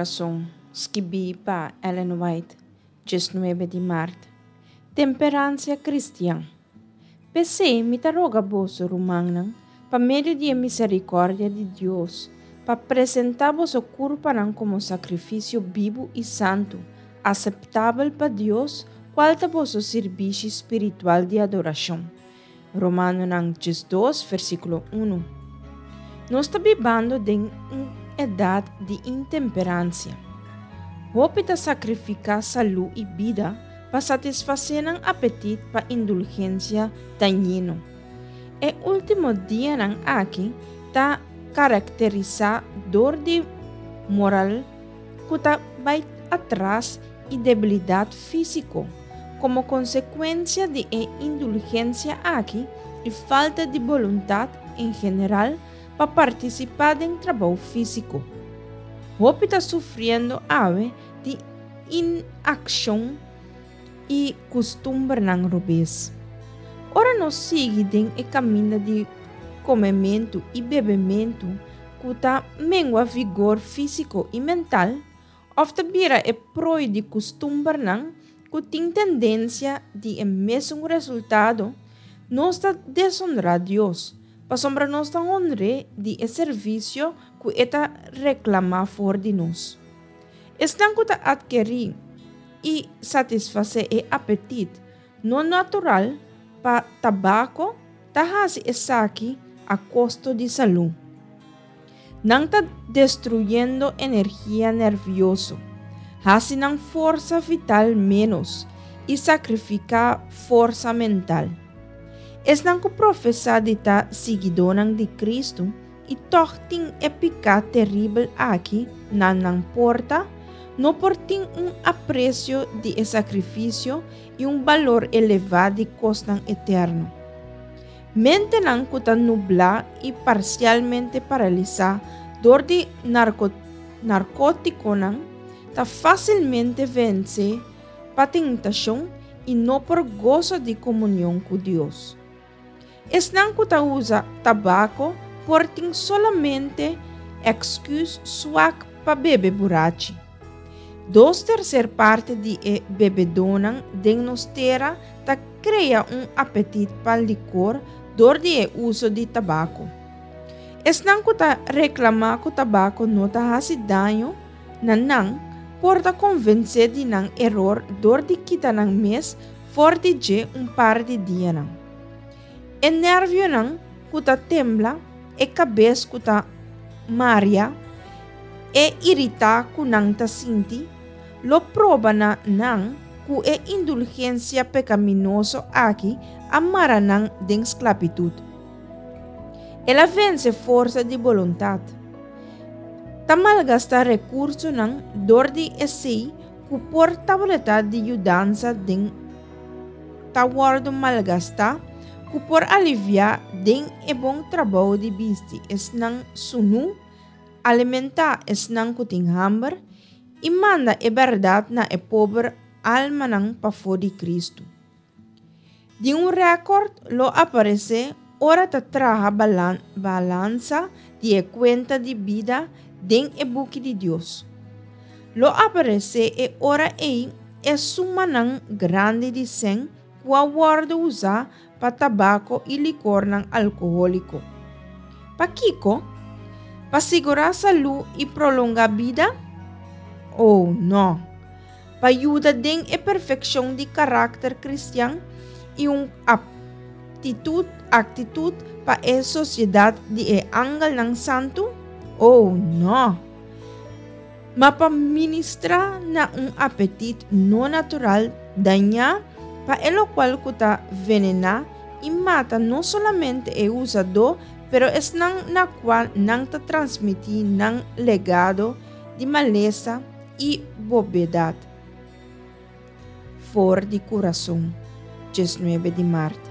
Kurason, skibí pa Ellen White, 19 di mart. Temperansia kristian. P'esei mi ta roga boso, rumannan, pa medio di e miserikòrdia di Dios, pa presentá boso kurpanan komo sakrifisio bibu i santu, aseptabel pa Dios, kual ta boso sirbishi spiritual di adorashon. Romanonan 12, versíkulo 1. Nos ta bibando den un edat di intemperansia. Hopi ta sakrifiká salú i bida pa satisfasé nan apetit pa indulgensia dañino. E último dianan aki ta karakterisá dor di moral ku ta bai atras i debilidat físiko komo konsekuensia di e indulgensia aki i falta di boluntat en general pa partisipá den trabou físiko. Hopi ta sufriendo awe di inakshon i kustumbernan robes. Ora nos sigui den e kaminda di komementu i bebementu ku ta mengua vigor físiko i mental, òf ta bira e prooi di kustumbernan ku tin tendensia di e mesun resultado, nos ta desonrá Dios, pasobra nos ta honr'é di e servisio ku e ta reklamá for di nos. Esnan ku ta atkerí i satisfasé e apetit no natural pa tabako ta hasi esaki a kosto di salú. Nan ta destruyendo energia nervioso, hasi nan forsa vital ménos i sakrifiká forsa mental. Esnan ku profesá di ta siguidónan di Kristu i tòg tin e piká teribel aki na nan porta, no por tin un apresio di e sakrifisio i un balor elevá di kosnan eterno. Mentenan ku ta nublá i parsialmente paralisá dor di narkótikonan ta fásilmente vense pa tentashon i no por gosa di komunion ku Dios. Esnan ku ta usa tabako por tin solamente èksküs swak pa bebe burachi. Dos terser parti di e bebedónan den nos tera ta krea un apetit pa likor dor di e uso di tabako. Esnan ku ta reklamá ku tabako no ta hasi daño na nan por ta konvensé di nan eror dor di kita nan mes For di dje un par di dianan. E nervionan ku ta tembla, e kabes ku ta maria, e iritá ku nan ta sinti, lo proba na nan ku e indulgensia pekaminoso aki a mara nan den sklabitut. El a vense forsa di boluntat. Ta malgastá rekursonan dor di esei Ku por tableta di yudansa den ta wòrdu malgastá ku por aliviá den e bon trabou di bisti esnan sunú, alimentá esnan ku tin hamber, i manda e bèrdat na e pober almanan pafó di Kristu. Di un rèkòrt lo aparesé ora ta traha balansa di e kuenta di bida den e buki di Dios. Lo aparesé e ora ei e sumanan grandi di sèn ku a wòrdu usá pa tabako i likornan alkohóliko. Pakiko? Pa sigurá salú i prolongá bida? Oh, nò! Pa yuda den e perfekshon di karakter kristian i un aptitut, aktitut, pa e sosiedat di e angelnan santu? Oh, nò! Ma pa ministrá na un apetit no natural dañá pa e lokual ku ta venená i mata no solamente e usadó pero esnan na kua nan ta transmití nan legado di malesa i bobedat for di kurason, 19 di mart.